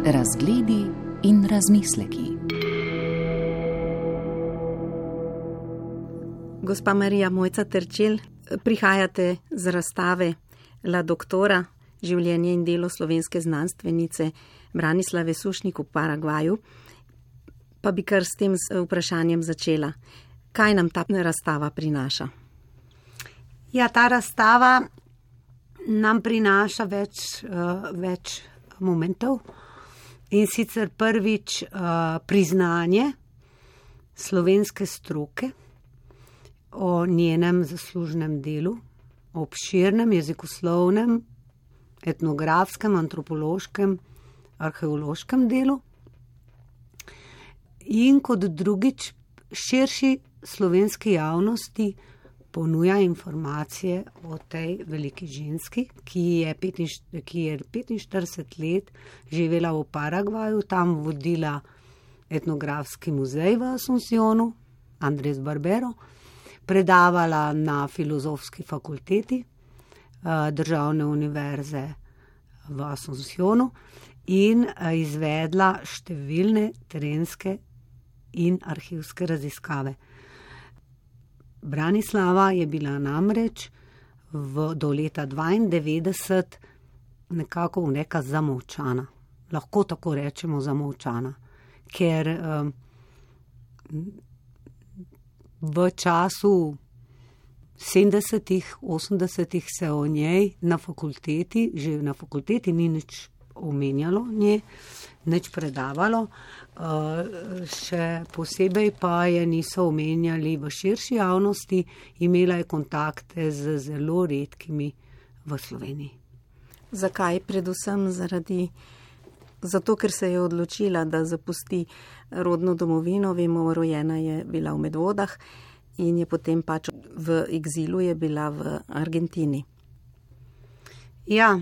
Razgledi in razmisleki. Gospa Marija Mojca Terčelj, prihajate z razstave La doktora, življenje in delo slovenske znanstvenice Branislave Sušnik v Paragvaju. Pa bi kar s tem vprašanjem začela. Kaj nam ta razstava prinaša? Ja, ta razstava nam prinaša več momentov. In sicer prvič priznanje slovenske stroke o njenem zaslužnem delu, obširnem jezikoslovnem, etnografskem, antropološkem, arheološkem delu. In kot drugič širši slovenski javnosti ponuja informacije o tej veliki ženski, ki je 45 let živela v Paragvaju, tam vodila etnografski muzej v Asuncionu, Andres Barbero, predavala na filozofski fakulteti Državne univerze v Asuncionu in izvedla številne terenske in arhivske raziskave. Branislava je bila namreč do leta 1992 nekako neka zamolčana. Lahko tako rečemo zamolčana, ker v času 70-ih, 80-ih se o njej že na fakulteti ni nič omenjalo, nič predavalo. Še posebej pa je niso omenjali v širši javnosti, imela je kontakte z zelo redkimi v Sloveniji. Zakaj? Predvsem zato, ker se je odločila, da zapusti rodno domovino. Vemo, rojena je bila v Medvodah in je potem pač v egzilu je bila v Argentini. Ja,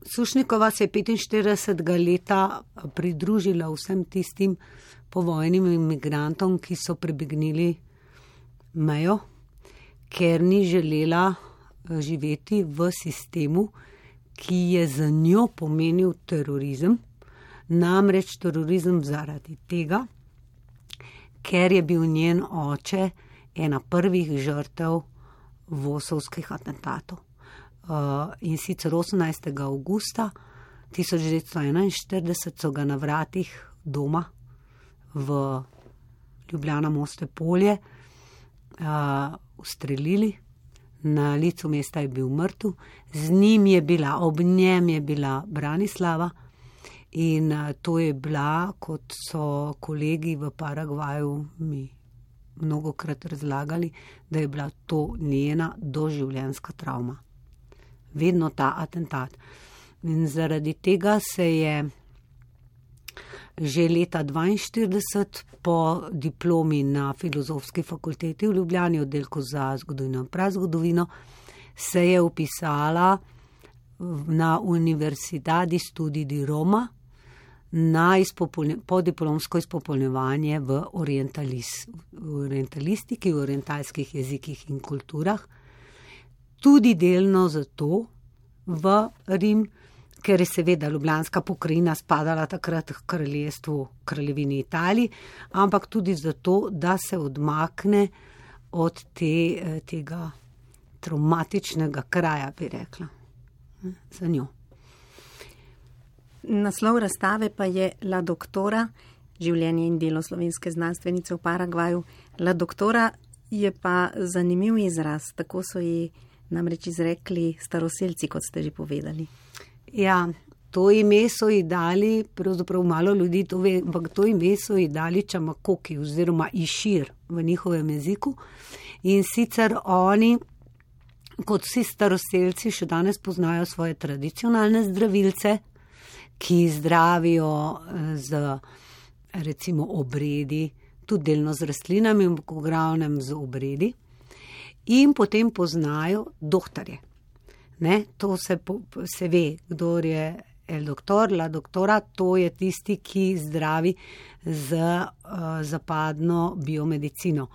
Sušnikova se je 45. leta pridružila vsem tistim povojnim imigrantom, ki so prebegnili mejo, ker ni želela živeti v sistemu, ki je za njo pomenil terorizem, namreč terorizem zaradi tega, ker je bil njen oče ena prvih žrtev vosovskih atentatov. In sicer 18. avgusta 1941 so ga na vratih doma v Ljubljana Moste Polje ustrelili. Na licu mesta je bil mrtev, ob njem je bila Branislava in to je bila, kot so kolegi v Paragvaju mi mnogokrat razlagali, da je bila to njena doživljenjska travma. Vedno ta atentat. In zaradi tega se je že leta 1942 po diplomi na Filozofski fakulteti v Ljubljani, oddelku za zgodovino in prazgodovino, se je vpisala na Universidadi Studi di Roma na podiplomsko izpopolnjevanje v orientalistiki, v orientalskih jezikih in kulturah. Tudi delno zato v Rim, ker je seveda Ljubljanska pokrajina spadala takrat k kraljevini Italiji, ampak tudi zato, da se odmakne od tega traumatičnega kraja, bi rekla, za njo. Naslov razstave pa je La doktora, življenje in delo slovenske znanstvenice v Paragvaju. La doktora je pa zanimiv izraz, tako so ji namreč izrekli staroselci, kot ste že povedali. Ja, to ime so ji dali, pravzaprav malo ljudi to ve, ampak to ime so ji dali Čamakoki oziroma Išir v njihovem jeziku. In sicer oni, kot vsi staroselci, še danes poznajo svoje tradicionalne zdravilce, ki zdravijo z recimo obredi, tudi delno z rastlinami, v glavnem z obredi. In potem poznajo dohtarje. To se ve, kdor je el doktor, la doktora, to je tisti, ki zdravi z zapadno biomedicino.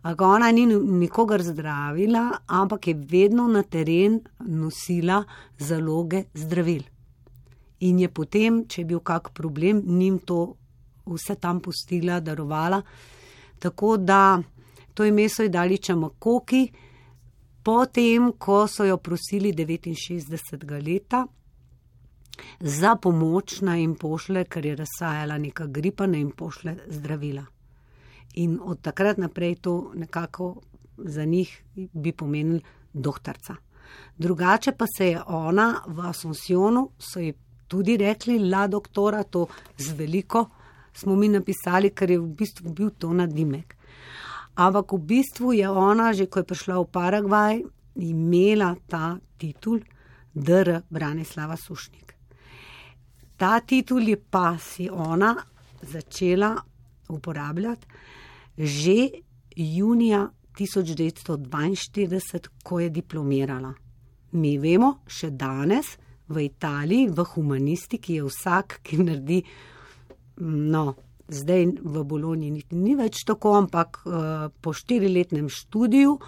Ona ni nikogar zdravila, ampak je vedno na teren nosila zaloge zdravil. In je potem, če je bil kak problem, njim to vse tam pustila, darovala. Tako da to ime so ji dali Čamakoki, potem, ko so jo prosili 69. leta za pomoč, naj jim pošle, ker je razsajala neka gripa, naj jim pošle zdravila. In od takrat naprej to nekako za njih bi pomenil doktorca. Drugače pa se je ona v Asuncionu, so ji tudi rekli la doktora, to z veliko smo mi napisali, ker je v bistvu bil to nadimek. Ampak v bistvu je ona, že ko je prišla v Paragvaj, imela ta titul dr. Branislava Sušnik. Ta titul je pa si ona začela uporabljati že junija 1942, ko je diplomirala. Mi vemo, še danes v Italiji, v humanistiki je vsak, ki naredi, zdaj v Bologni ni več tako, ampak po 4-letnem študiju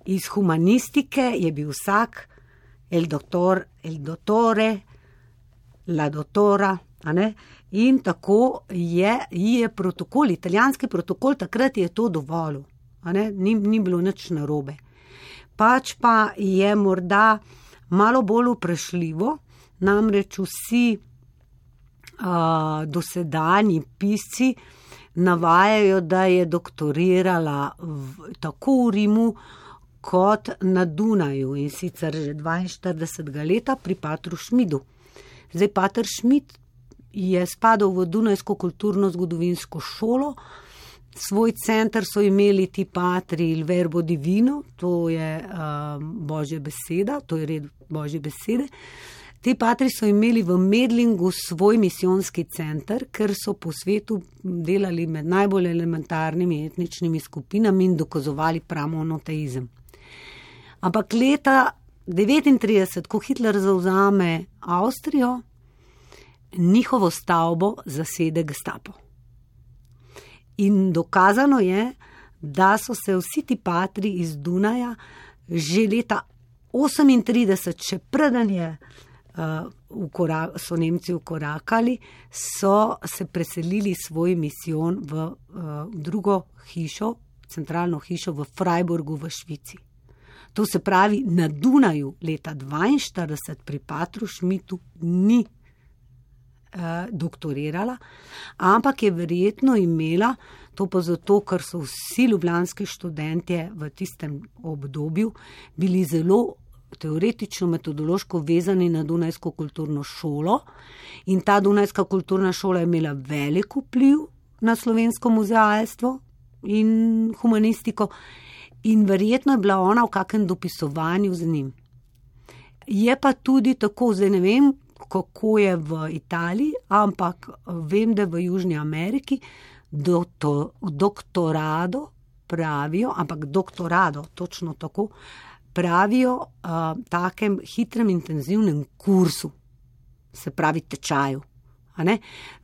iz humanistike je bil vsak el doktor, el dottore, la dottora, in tako je protokol, italijanski protokol, takrat je to dovolil, ni bilo nič narobe. Pač pa je morda malo bolj vprašljivo, namreč vsi dosedanji pisci navajajo, da je doktorirala tako v Rimu kot na Dunaju, in sicer že 42. leta pri patru Šmidu. Zdaj, pater Šmid je spadal v Dunajsko kulturno-zgodovinsko šolo, svoj center so imeli ti patri il verbo divino, to je Božja beseda, to je red Božje besede. Ti patri so imeli v Medlingu svoj misijonski center, ker so po svetu delali med najbolj elementarnimi etničnimi skupinami in dokazovali pramonoteizem. Ampak leta 1939, ko Hitler zavzame Avstrijo, njihovo stavbo zasede Gestapo. In dokazano je, da so se vsi ti patri iz Dunaja že leta 1938, še preden so Nemci ukorakali, so se preselili svoj misijon v drugo hišo, centralno hišo v Freiburgu v Švici. To se pravi, na Dunaju leta 1942 pri patru Šmitu ni doktorirala, ampak je verjetno imela, to pa zato, ker so vsi ljubljanski študentje v tistem obdobju bili zelo teoretično, metodološko vezani na Dunajsko kulturno šolo, in ta Dunajska kulturna šola je imela velik vpliv na slovensko muzealstvo in humanistiko, in verjetno je bila ona v kakem dopisovanju z njim. Je pa tudi tako, zdaj ne vem, kako je v Italiji, ampak vem, da v Južni Ameriki doktorado pravijo, ampak doktorado, točno tako, pravijo takem hitrem, intenzivnem kursu, se pravi tečaju.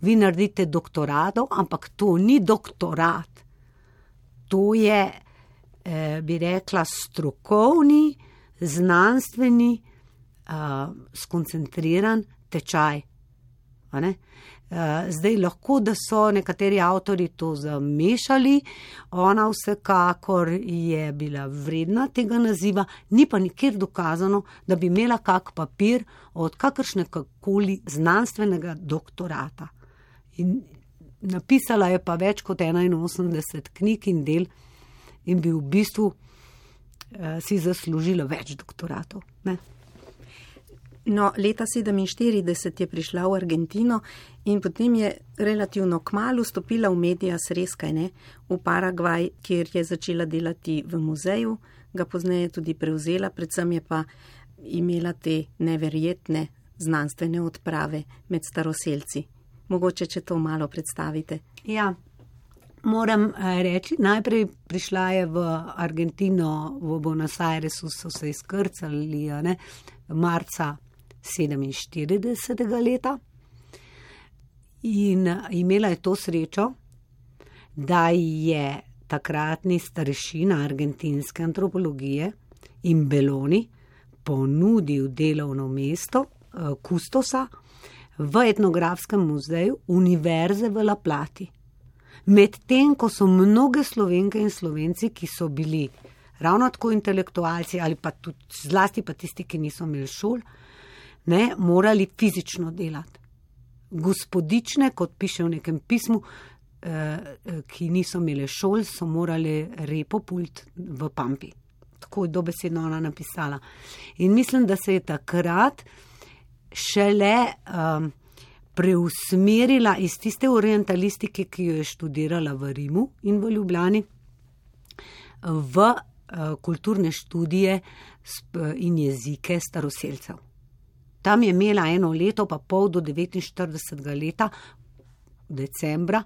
Vi naredite doktorado, ampak to ni doktorat. To je, bi rekla, strokovni, znanstveni, skoncentriran tečaj. Zdaj lahko, da so nekateri avtori to zamešali, ona vsekakor je bila vredna tega naziva, ni pa nikjer dokazano, da bi imela kak papir od kakršnekoli znanstvenega doktorata. In napisala je pa več kot 81 knjig in del in bi v bistvu si zaslužila več doktoratov. No, leta 1947 je prišla v Argentino in potem je relativno kmalu stopila v medias res, v Paragvaj, kjer je začela delati v muzeju, ga pozneje tudi prevzela, predvsem je pa imela te neverjetne znanstvene odprave med staroselci. Mogoče, če to malo predstavite. Ja, moram reči, najprej prišla je v Argentino, v Buenos Airesu so se izkrcali, marca 1947. leta in imela je to srečo, da je takratni starešina argentinske antropologije in Belloni ponudil delovno mesto kustosa v etnografskem muzeju Univerze v La Plati. Medtem, ko so mnoge Slovenke in Slovenci, ki so bili ravno tako intelektualci ali pa tudi zlasti pa tisti, ki niso imeli šol, morali fizično delati. Gospodične, kot piše v nekem pismu, ki niso imeli šol, so morali repo pult v Pampi. Tako je dobesedno ona napisala. In mislim, da se je takrat šele preusmerila iz tiste orientalistike, ki jo je študirala v Rimu in v Ljubljani, v kulturne študije in jezike staroselcev. Tam je imela 1 leto pa pol do 49. leta, decembra,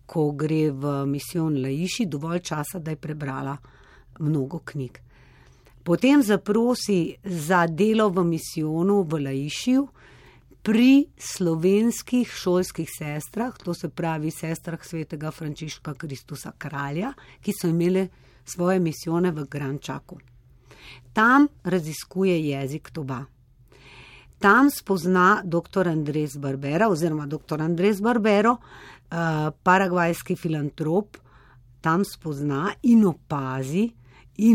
ko gre v misijon Laiši, dovolj časa, da je prebrala mnogo knjig. Potem zaprosi za delo v misijonu v Laišiju pri slovenskih šolskih sestrah, to se pravi sestrah svetega Frančiška Kristusa Kralja, ki so imeli svoje misijone v Grančaku. Tam raziskuje jezik Toba. Tam spozna dr. Andres Barbera oziroma dr. Andres Barbero, paragvajski filantrop, tam spozna in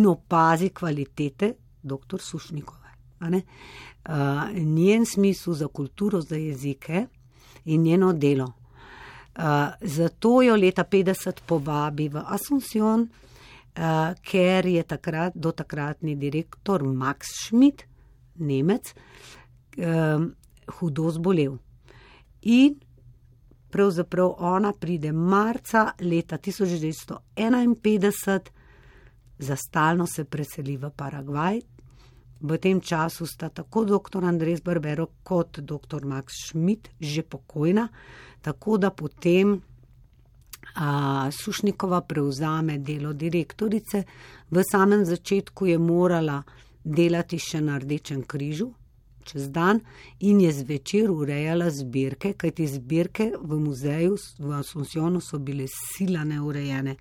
opazi kvalitete dr. Sušnikove. Njen smisel za kulturo, za jezike in njeno delo. Zato jo leta 50 povabi v Asunción, ker je dotakratni direktor Max Schmidt, Nemec, hudo zbolel. In pravzaprav ona pride marca leta 1951, za stalno se preseli v Paragvaj. V tem času sta tako dr. Andres Barbero kot dr. Max Schmidt že pokojna, tako da potem Sušnikova prevzame delo direktorice. V samem začetku je morala delati še na Rdečem križu čez dan in je zvečer urejala zbirke, kajti zbirke v muzeju v Asunciónu so bile sila neurejene.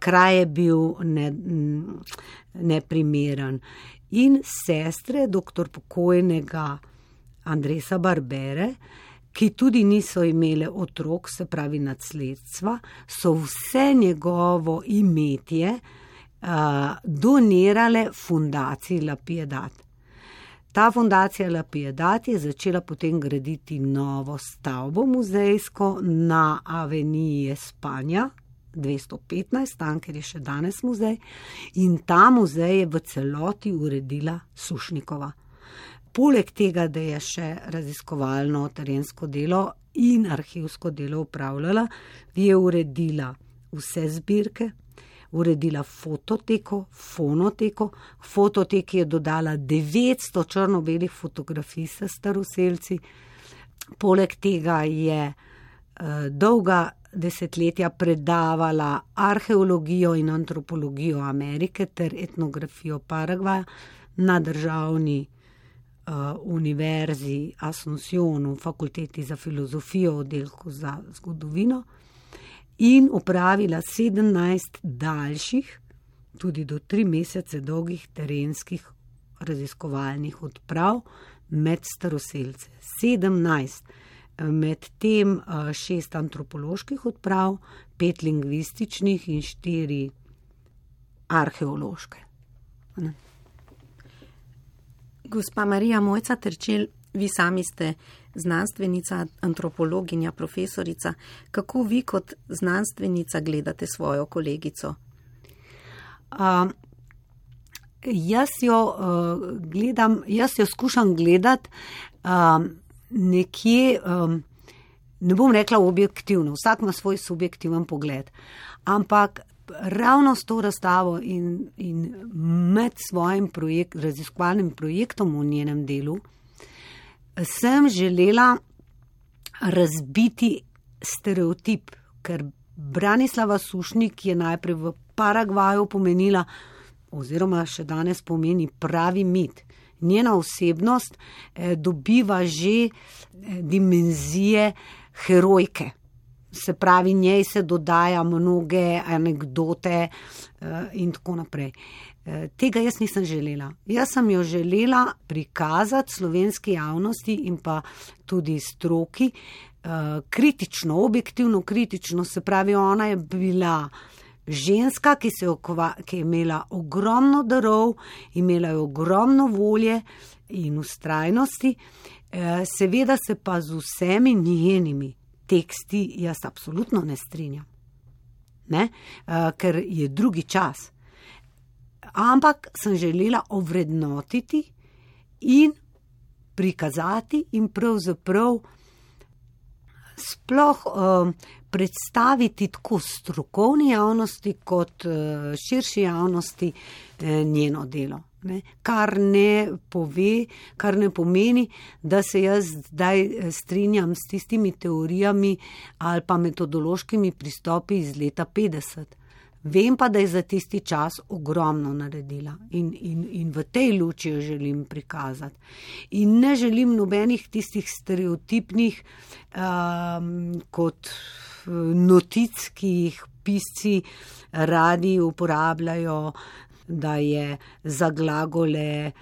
Kraj je bil neprimeren. In sestre dr. pokojnega Andresa Barbere, ki tudi niso imele otrok, se pravi nasledstva, so vse njegovo imetje donirale fundaciji La Piedad. Ta fundacija La Piedad je začela potem graditi novo stavbo muzejsko na Aveniji Espanja 215, tam, ker je še danes muzej, in ta muzej je v celoti uredila Sušnikova. Poleg tega, da je še raziskovalno terensko delo in arhivsko delo upravljala, je uredila vse zbirke, uredila fototeko, fonoteko. Fototeki je dodala 900 črno-belih fotografij s staroselci. Poleg tega je dolga desetletja predavala arheologijo in antropologijo Amerike ter etnografijo Paragvaja na državni univerzi Asunciónu, fakulteti za filozofijo, oddelku za zgodovino, in opravila 17 daljših, tudi do 3 mesece dolgih terenskih raziskovalnih odprav med staroselce. 17, med tem 6 antropoloških odprav, 5 lingvističnih in 4 arheološke. Gospa Marija Mojca Terčelj, vi sami ste znanstvenica, antropologinja, profesorica. Kako vi kot znanstvenica gledate svojo kolegico? Jaz jo skušam gledati nekje, ne bom rekla objektivno, vsak ima svoj subjektiven pogled, ampak ravno s to razstavo in med svojim raziskovalnim projektom v njenem delu sem želela razbiti stereotip, ker Branislava Sušnik je najprej v Paragvaju pomenila oziroma še danes pomeni pravi mit. njena osebnost dobiva že dimenzije herojke. Se pravi, njej se dodaja mnoge anekdote in tako naprej. Tega jaz nisem želela. Jaz sem jo želela prikazati slovenski javnosti in pa tudi stroki kritično, objektivno kritično. Se pravi, ona je bila ženska, ki je imela ogromno darov, imela je ogromno volje in vztrajnosti, seveda se pa z vsemi njenimi teksti jaz absolutno ne strinjam, ker je drugi čas. Ampak sem želela ovrednotiti in prikazati in pravzaprav sploh predstaviti tako strokovni javnosti kot širši javnosti njeno delo. Kar ne pomeni, da se jaz zdaj strinjam s tistimi teorijami ali pa metodološkimi pristopi iz leta 50. Vem pa, da je za tisti čas ogromno naredila in v tej luči jo želim prikazati. In ne želim nobenih tistih stereotipnih kot notic, ki jih pisci radi uporabljajo, da je za glagole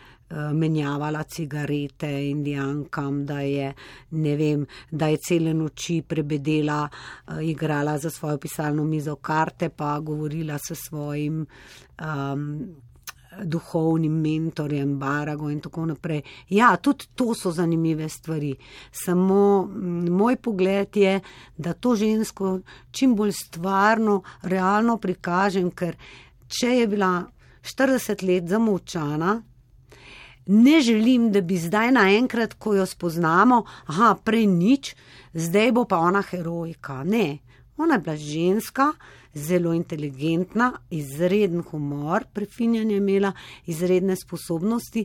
menjavala cigarete Indijankam, da je, ne vem, da je cele noči prebedela, igrala za svojo pisalno mizo karte, pa govorila s svojim duhovnim mentorjem Barago in tako naprej. Ja, tudi to so zanimive stvari. Samo moj pogled je, da to žensko čim bolj stvarno, realno prikažem, ker če je bila 40 let zamolčana, ne želim, da bi zdaj naenkrat, ko jo spoznamo, prej nič, zdaj bo pa ona herojka. Ne, ona je bila ženska, zelo inteligentna, izreden humor, prefinjanje imela, izredne sposobnosti,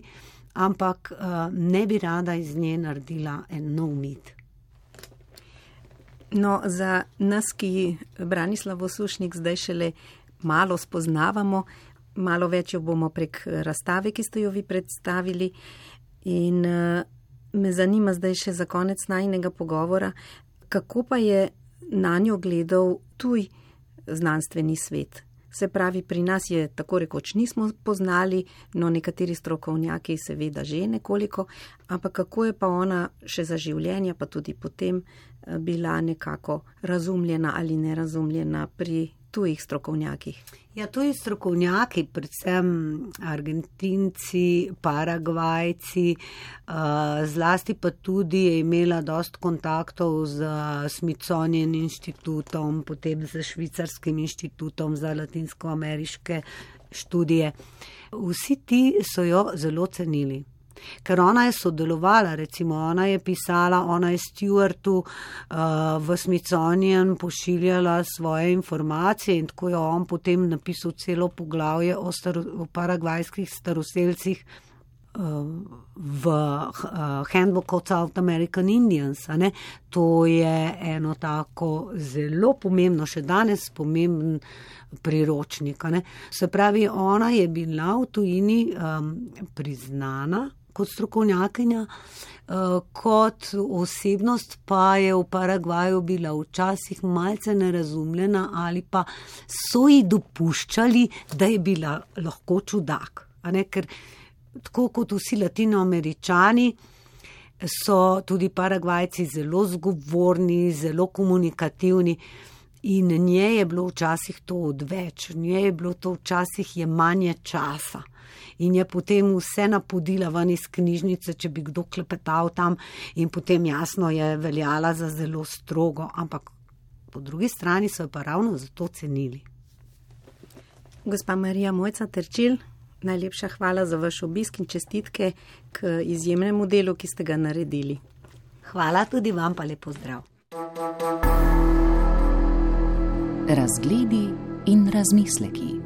ampak ne bi rada iz nje naredila en nov mit. No, za nas, ki Branislavo Sušnik zdaj šele malo spoznavamo, malo več jo bomo prek razstave, ki ste jo vi predstavili, in me zanima zdaj še za konec najinega pogovora, kako pa je na njo gledal tuj znanstveni svet. Se pravi, pri nas je tako rekoč nismo poznali, no nekateri strokovnjaki seveda že nekoliko, ampak kako je pa ona še za življenje, pa tudi potem bila nekako razumljena ali nerazumljena pri tujih strokovnjakih? Ja, tuji strokovnjaki, predvsem Argentinci, Paragvajci, zlasti pa tudi je imela dosti kontaktov z Smithsonian inštitutom, potem z Švicarskim inštitutom za latinskoameriške študije. Vsi ti so jo zelo cenili. Ker ona je sodelovala, recimo ona je pisala, ona je Stewartu v Smithsonian pošiljala svoje informacije in tako je on potem napisal celo poglavje o paragvajskih staroselcih v Handbook of South American Indians. To je eno tako zelo pomembno, še danes pomemben priročnik. Se pravi, ona je bila v tujini priznana kot strokovnjakinja, kot osebnost pa je v Paragvaju bila včasih malce nerazumljena ali pa so ji dopuščali, da je bila lahko čudak. Ker tako kot vsi Latinoameričani so tudi Paragvajci zelo zgovorni, zelo komunikativni in nje je bilo včasih to odveč, nje je bilo to včasih jemanje časa. In je potem vse napodila ven iz knjižnice, če bi kdo klepetal tam in potem jasno je veljala za zelo strogo, ampak po drugi strani so jo pa ravno zato cenili. Gospa Marija Mojca Terčelj, najlepša hvala za vaš obisk in čestitke k izjemnemu delu, ki ste ga naredili. Hvala tudi vam, pa lep pozdrav. Razgledi in razmisleki.